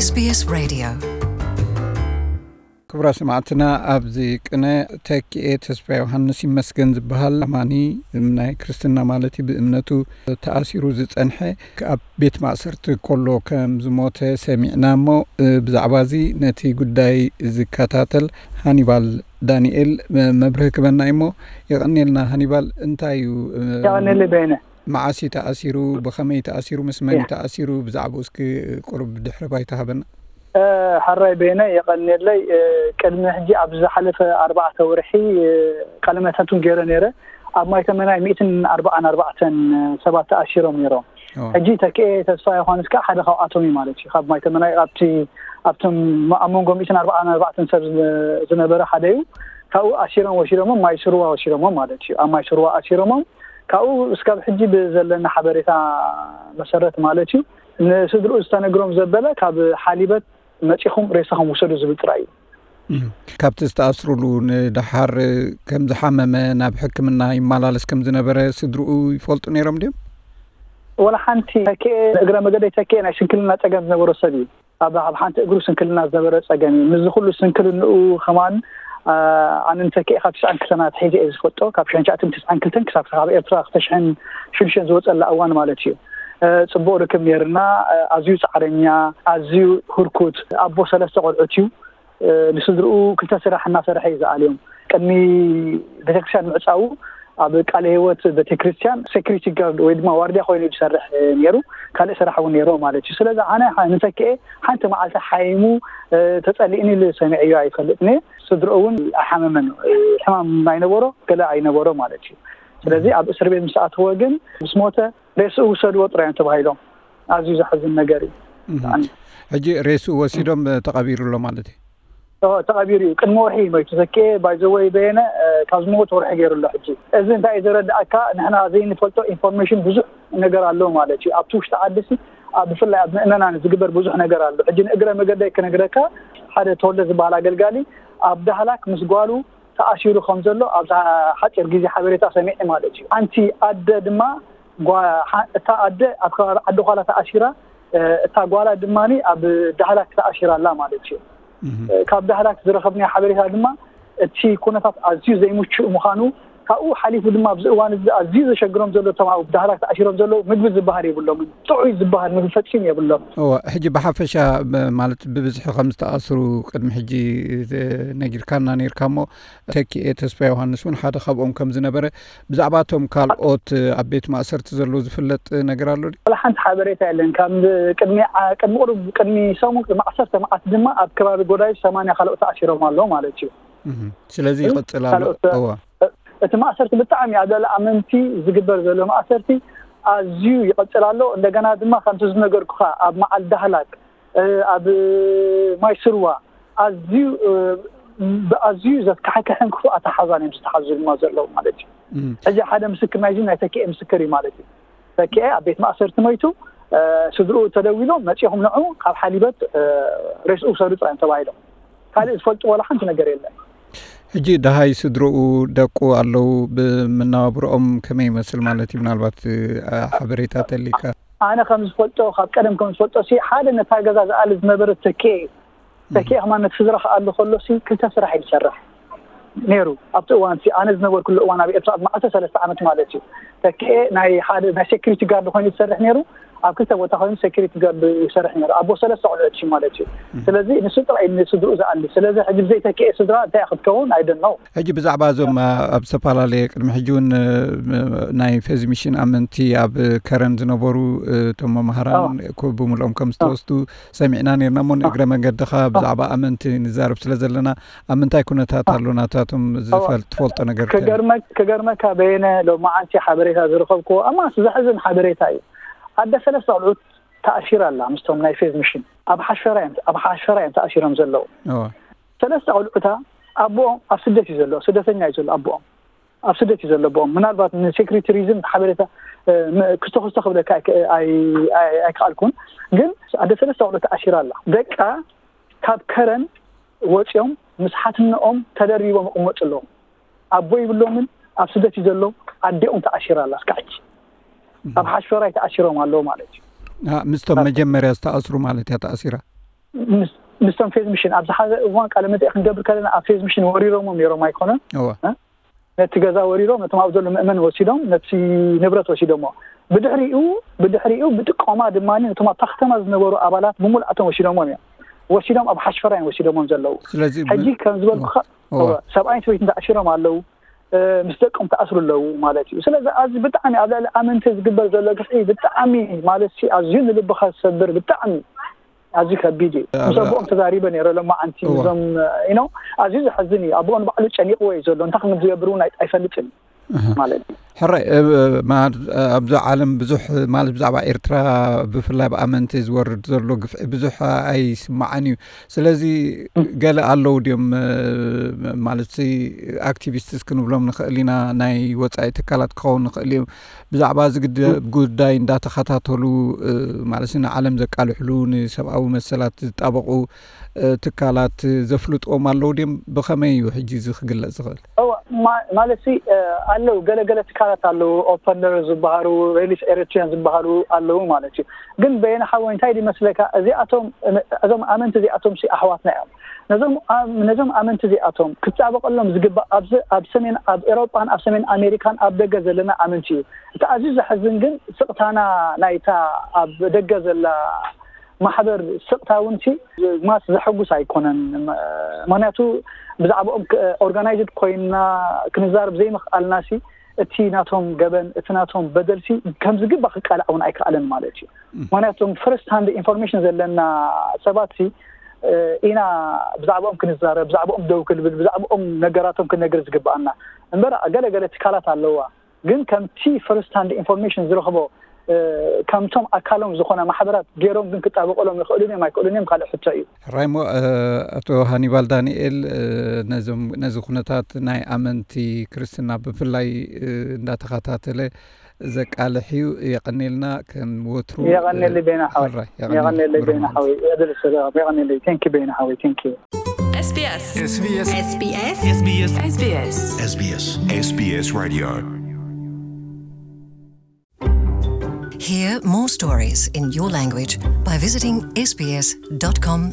S B S Radio. ክቡራት ሰማዕትና፣ ኣብዚ ቅነ ተኪኤ ተስፋ ዮሃንስ ይመስገን ዝበሃል ኣማኒ፣ ናይ ክርስትና ማለት እዩ፣ ብእምነቱ ተኣሲሩ ዝጸንሐ፣ ኣብ ቤት ማእሰርቲ ከሎ ከም ዝሞተ ሰሚዕና እሞ፣ ብዛዕባ እዚ ነቲ ጉዳይ ዝከታተል ሃኒባል ዳንኤል መብርሂ ክበና እዩ እሞ፣ የቐንየልና ሃኒባል። እንታይ እዩ፣ የቐንየለይ በየነ። መዓስ እዩ ተኣሲሩ? ብኸመይ ተኣሲሩ? ምስ መን እዩ ተኣሲሩ? ብዛዕባኡ እስኪ ቁሩብ ድሕረ ባይታ ሃበና። እ፣ ሕራይ በየነ፣ የቐንየለይ። እ፣ ቅድሚ ሕጂ ኣብ ዝሓለፈ ኣርባዕተ ወርሒ፣ እ፣ ቃለ መሕትት እውን ገይረ ነይረ። ኣብ ማይተመናይ ሚእትን ኣርባዓን ኣርባዕተን ሰባት ተኣሲሮም ነይሮም። ሕጂ ተኪኤ ተስፋ ዮሃንስ ከኣ ሓደ ካብኣቶም እዩ ማለት እዩ። ካብ ማይተመናይ ኣብቲ፣ ኣብቶም ኣብ መንጎ ሚእትን ኣርባዓን ኣርባዕተን ሰብ ዝነ-፣ ዝነበረ ሓደ እዩ። ካብኡ ኣሲሮም ወሲዶሞ፣ ማይ ስርዋ ወሲዶሞ ማለት እዩ። ኣብ ማይ ስርዋ ኣሲሮሞም፣ ካብኡ እስካብ ሕጂ ብዘለና ሓበሬታ መሰረት ማለት እዩ፣ ንስድርኡ ዝተነግሮም ዘበለ ካብ ሓሊበት መጺኹም ሬሳኹም ውሰዱ ዝብል ጥራይ እዩ። እም። ካብቲ ዝተኣስሩሉ ንደሓር ከም ዝሓመመ፣ ናብ ሕክምና ይመላለስ ከም ዝነበረ ስድርኡ ይፈልጡ ነይሮም ድዮም? ወላ ሓንቲ። ተኪኤ፣ እግረ መገደይ ተኪኤ ናይ ስንክልና ጸገም ዝነበሮ ሰብ እዩ። ኣብ፣ ኣብ ሓንቲ እግሩ ስንክልና ዝነበረ ጸገም እዩ። ምስዚ ኩሉ ስንክልንኡ ከማን፣ አ፣ ኣነ ንተኪኤ ካብ ትስዓን ክልተን ኣትሒዘ እየ ዝፈልጦ። ካብ ሽሕን ትሽዓን ክልተን ክሳብ፣ ካብ ኤርትራ ክልተ ሽሕን ሽዱሽተን ዝወጸላ እዋን ማለት እዩ። እ፣ ጽቡቕ ርክብ ነይርና። እ፣ ኣዝዩ ጻዕረኛ፣ ኣዝዩ ህርኩት፣ ኣቦ ሰለስተ ቆልዑት እዩ። እ፣ ንስድርኡ ክልተ ስራሕ እናሰርሐ እዩ ዝኣልዮም። ቅድሚ ቤተክርስትያን ምዕጻዉ ኣብ ቃለ ህይወት ቤተክርስትያን ሴኩሪቲ ጋርድ ወይ ድማ ዋርድያ ኮይኑ እዩ ዝሰርሕ፣ እ፣ ነይሩ። ካልእ ስራሕ እውን ነይሩ ማለት እዩ። ስለዚ ኣነ ሓ-፣ ንተኪኤ ሓንቲ መዓልቲ ሓይሙ፣ እ፣ ተጸሊእኒ ኢሉ ሰሚዐዮ ኣይፈልጥን እየ። ስድርኡ እውን ኣይሓመመን። እ፣ ሕማም ኣይነበሮ፣ ገለ ኣይነበሮ ማለት እዩ። ስለዚ ኣብ እስር ቤት ምስ ኣተወ ግን ምስ ሞተ ሬስኡ ውሰድዎ ጥራይ እዮም ተባሂሎም። ኣዝዩ ዘሕዝን ነገር እዩ። እም። ብጣዕሚ። ሕጂ ሬስኡ ወሲዶም፣ እ፣ ተቐቢሩ ኣሎ ማለት እዩ? ኦ፣ ተቐቢሩ እዩ። ቅድሚ ወርሒ እዩ ሞይቱ። ተኪኤ፣ ባይ ዘ ወይ፣ በየነ፣ እ፣ ካብ ዝመውት ወርሒ ገይሩ ኣሎ። ሕጂ እዚ እንታይ እዩ ዘረድኣካ? ንሕና ዘይንፈልጦ ኢንፎርሜሽን ብዙሕ ነገር ኣሎ ማለት እዩ። ኣብቲ ውሽጢ ዓዲ ሲ፣ ኣብ፣ ብፍላይ ኣብ ምእመናን ዝግበር ብዙሕ ነገር ኣሎ። ሕጂ ንእግረ መገደይ ክነግረካ፣ ሓደ ተወልደ ዝበሃል ኣገልጋሊ ኣብ ዳህላክ ምስ ጓሉ ተኣሲሩ ከም ዘሎ ኣብዛ ሓፂር ግዜ ሓበሬታ ሰሚዐ ማለት እዩ። ሓንቲ ኣደ ድማ ጓ-፣ ሓ-፣ እታ ኣደ ኣብ ከባቢ ዓዲ ዃላ ተኣሲራ፣ እ፣ እታ ጓላ ድማ ኣብ ዳህላክ ተኣሲራ ኣላ ማለት እዩ። እህ። እ፣ ካብ ዳህላክ ዝረኸብናዮ ሓበሬታ ድማ እቲ ኩነታት ኣዝዩ ዘይምቹእ ምዃኑ፣ ካብኡ ሓሊፉ ድማ ኣብዚ እዋን እዚ ኣዝዩ ዘሸግሮም ዘሎ እቶም ኣብ ዳህላክ ተኣሲሮም ዘለዉ ምግቢ ዝበሃል የብሎምን። ጥዑይ ዝበሃል ምግቢ ፈጺሙ የብሎም። እወ፣ ሕጂ ብሓፈሻ ብ-፣ ማለት ብብዝሒ ከም ዝተኣስሩ ቅድሚ ሕጂ፣ እ፣ ነጊርካና ነይርካ እሞ፣ ተኪኤ ተስፋ ዮሃንስ እውን ሓደ ካብኦም ከም ዝነበረ፣ ብዛዕባ እቶም ካልኦት ኣብ ቤት ማእሰርቲ ዘለዉ ዝፍለጥ ነገር ኣሎ ድዩ? ዋላ ሓንቲ ሓበሬታ የለን። ካብ ቅድሚ ዓ-፣ ቅድሚ ቁሩብ፣ ቅድሚ ሰሙን፣ ቅድሚ ዓሰርተ መዓልቲ ድማ ኣብ ከባቢ ጎዳይፍ ሰማንያ ካልኦት ተኣሲሮም ኣለዉ ማለት እዩ። እህ። ስለዚ ይቕጽል ኣሎ። ካልኦት፣ እወ። እ-፣ እቲ ማእሰርቲ ብጣዕሚ ኣብ ልዕሊ ኣመንቲ ዝግበር ዘሎ ማእሰርቲ ኣዝዩ ይቕጽል ኣሎ። እንደገና ድማ ከምቲ ዝነገርኩኻ ኣብ መዓል ዳህላክ፣ እ፣ ኣብ ማይ ስርዋ ኣዝዩ፣ እ፣ ብኣዝዩ ዘካሕክሕን ክፉእ ኣተሓዛን እዮም ዝተሓዙ ድማ ዘለዉ ማለት እዩ። እም። ሕጂ ሓደ ምስክር ናይዚ ናይ ተኪኤ ምስክር እዩ ማለት እዩ። ተኪኤ ኣብ ቤት ማእሰርቲ ሞይቱ፣ እ፣ ስድርኡ ተደዊሎም መጺኹም ንዑ ካብ ሓሊበት፣ እ፣ ሬስኡ ውሰዱ ጥራይ እዮም ተባሂሎም። ካልእ ዝፈልጡ ዋላ ሓንቲ ነገር የለን። ሕጂ ደሃይ ስድርኡ፣ ደቁ ኣለዉ፣ ብመነባብሮኦም ከመይ ይመስል ማለት እዩ? ምናልባት፣ እ፣ ሓበሬታ ተሊካ። ኣነ ከም ዝፈልጦ፣ ካብ ቀደም ከም ዝፈልጦ ሲ፣ ሓደ ነታ ገዛ ዝኣሊ ዝነበረ ተኪኤ እዩ። ተኪኤ ከማን ነቲ ስድራ ክኣሊ ከሎ ሲ፣ ክልተ ስራሕ እዩ ዝሰርሕ ነይሩ። ኣብቲ እዋን ሲ፣ ኣነ ዝነበርኩሉ እዋን ኣብ ኤርትራ፣ ኣብ መዓልቲ ሰለስተ ዓመት ማለት እዩ። ተኪኤ ናይ ሓደ፣ ናይ ሴኩሪቲ ጋርድ ኮይኑ ዝሰርሕ ነይሩ። ኣብ ክልተ ቦታ ኮይኑ ሴኩሪቲ ጋርድ ይሰርሕ ነይሩ። ኣቦ ሰለስተ ቆልዑት እዩ ማለት እዩ። እም። ስለዚ ንሱ ጥራይ እዩ ንስድርኡ ዝኣሊ። ስለዚ ሕጂ ብዘይ ተኪኤ ስድራ እንታይ ክትከውን? I don't know። ሕጂ ብዛዕባ እዞም፣ አ-፣ ኣብ ዝተፈላለየ ቅድሚ ሕጂ እውን፣ እ፣ ናይ ፌዝ ሚሽን ኣመንቲ ኣብ ከረን ዝነበሩ፣ እ፣ እቶም መምሃራን ኣዎ። ኮ-፣ ብምልኦም ከም ኣዎ። ዝተወስዱ ሰሚዕና ነይርና እሞ፣ ኣዎ። ንእግረ መንገድኻ ኣዎ። ብዛዕባ ኣመንቲ ንዛረብ ስለ ዘለና፣ ኣብ ምንታይ ኩነታት ኣዎ። ኣሎ ናታቶም ኣዎ። ዝፈል-፣ ትፈልጦ ነገር ከ-፣ ክገርመ-፣ ክገርመካ በየነ፣ ሎማዓንቲ ሓበሬታ ዝረኸብክዎ፣ ኣማስ ዘሕዝን ሓበሬታ እዩ። ኣደ ሰለስተ ቆልዑት ተኣሲራ ኣላ ምስቶም ናይ ፌዝ ሚሽን። ኣብ ሓሽፈራ እዮም፣ ኣብ ሓሽፈራ እዮም ተኣሲሮም ዘለዉ። እወ። ሰለስተ ቆልዑታ ኣቦኦም ኣብ ስደት እዩ ዘሎ፣ ስደተኛ እዩ ዘሎ ኣቦኦም። ኣብ ስደት እዩ ዘሎ ኣቦኦም። ምናልባት ንሴኩሪቲ ሪዝን ሓበሬታ፣ እ፣ ም-፣ ክስቶ ክስቶ ክብለካ ኣይክ-፣ ኣይ-፣ ኣይ-፣ ኣይከኣልኩን። ግን ኣደ ሰለስተ ቆልዑ ተኣሲራ ኣላ። ደቃ ካብ ከረን ወፂኦም ምስ ሓትነኦም ተደሪቦም ይቕመጡ ኣለዉ። ኣቦ ይብሎምን ኣብ ስደት እዩ ዘሎ፣ ኣዴኦም ተኣሲራ ኣላ እስካዕ ሕጂ። እም። ኣብ ሓሽፈራይ ተኣሲሮም ኣለዉ ማለት እዩ። አ፣ ምስቶም ኣብ መጀመርያ ዝተኣስሩ ማለት እያ ተኣሲራ? ምስ- ምስቶም ፌዝ ሚሽን ኣብዚ ሓደ እዋን ቃለ መጠይቅ ክንገብር ከለና ኣብ ፌዝ ሚሽን ወሪሮሞም ነይሮም ኣይኮነን። እወ ነቲ ገዛ ወሪሮም ነቶም ኣብ ዘሎ ምእመን ወሲዶም ነቲ ንብረት ወሲዶሞ። ብድሕሪኡ ብድሕሪኡ ብጥቆማ ድማ ነቶም ኣብታ ከተማ ዝነበሩ ኣባላት ብምሉኣቶም ወሲዶሞም እዮም። ወሲዶም ኣብ ሓሽፈራ እዮም ወሲዶሞም ዘለዉ። ስለዚ ብ- ሕጂ ከም ዝበልኩኻ እወ እወ፣ ሰብኣይን ሰበይትን ተኣሲሮም ኣለዉ። እ፣ ምስ ደቆም ተኣስሩ ኣለዉ ማለት እዩ። ስለዚ ኣዚ ብጣዕሚ ኣብ ልዕሊ ኣመንቲ ዝግበር ዘሎ ግፍዒ ብጣዕሚ ማለት ሲ ኣዝዩ ንልብኻ ዝሰብር ብጣዕሚ ኣዝዩ ከቢድ እዩ። ምስ ኣብ- ኣቦኦም ተዛሪበ ነይረ ሎማዓንቲ እወ እዞም እ፣ you know ኣዝዩ ዘሕዝን እዩ። ኣቦኦም ባዕሉ ጨኒቕዎ እዩ ዘሎ እንታይ ከም ዝገብር እውን ኣይ- ኣይፈልጥን እዩ እህ። ማለት እዩ። ሕራይ እ፣ ማ- ኣብዚ ዓለም ብዙሕ ማለት ብዛዕባ ኤርትራ ብፍላይ ብኣመንቲ ዝወርድ ዘሎ ግፍዒ ብዙሕ ኣይስማዓን እዩ። ስለዚ ገለ ኣለዉ ድዮም እ፣ ማለት ኣክቲቪስትስ ክንብሎም ንኽእል ኢና ናይ ወፃኢ ትካላት ክኸውን ንኽእል እዮም ብዛዕባ እዚ ግደ- ጉዳይ እንዳተኸታተሉ እ፣ ማለት ንዓለም ዘቃልሕሉ ንሰብኣዊ መሰላት ዝጣበቑ እ፣ ትካላት ዘፍልጥዎም ኣለዉ ድዮም? ብኸመይ እዩ ሕጂ እዚ ክግለጽ ዝኽእል? እወ፣ ማ- ማለት ሲ እ፣ ኣለዉ ገለገለ ትካላት ኣለዉ ኦፐነር ዝበሃሉ ሪሊፍ ኤሪትሪያን ዝበሃሉ ኣለዉ ማለት እዩ። ግን በየነ ሓወይ እንታይ ድመስለካ እዚኣቶም እዞም ኣመንቲ እዚኣቶም ሲ ኣሕዋትና እዮም። ነዞም ኣም- ነዞም ኣመንቲ እዚኣቶም ክጣበቀሎም ዝግባእ ኣብዚ ኣብ ሰሜን ኣብ ኤሮጳን ኣብ ሰሜን ኣሜሪካን ኣብ ደገ ዘለና ኣመንቲ እዩ። እቲ ኣዝዩ ዘሕዝን ግን ስቕታና ናይታ ኣብ ደገ ዘላ ማሕበር ስቕታ እውን ሲ ማስ ዘሐጉስ ኣይኮነን። ምክንያቱ ብዛዕባኦም ኦርጋናይዝድ ኮይንና ክንዛረብ ዘይምኽኣልና ሲ እቲ ናቶም ገበን እቲ ናቶም በደል ሲ ከም ዝግባእ ክቃላዕ እውን ኣይከኣለን ማለት እዩ። ምክንያቱ ፈርስት ሃንድ ኢንፎርሜሽን ዘለና ሰባት ሲ ኢና ብዛዕባኦም ክንዛረብ ብዛዕባኦም ደው ክንብል ብዛዕባኦም ነገራቶም ክንነግር ዝግባኣና። እምበር ገለገለ ትካላት ኣለዋ ግን ከምቲ ፈርስት ሃንድ ኢንፎርሜሽን ዝረኽቦ ከምቶም ኣካሎም ዝኾነ ማሕበራት ገይሮም ግን ክጣበቀሎም ይኽእሉን እዮም ኣይክእሉን እዮም ካልእ ሕቶ እዩ። ሕራይ እሞ ኣቶ ሃኒባል ዳንኤል ነዚ ኩነታት ናይ ኣመንቲ ክርስትና ብፍላይ እንዳተኸታተለ ዘቃልሕ እዩ። የቐኔልና ከም ወትሩ። የቐኔሊ ቤና ሓወይ። የቐኔሊ ቤና ሓወይ። የቐኔሊ። Thank you ቤና ሓወይ። Thank you። SBS SBS SBS SBS SBS SBS SBS Radio. Hear more stories in your language by visiting sbs.com.au.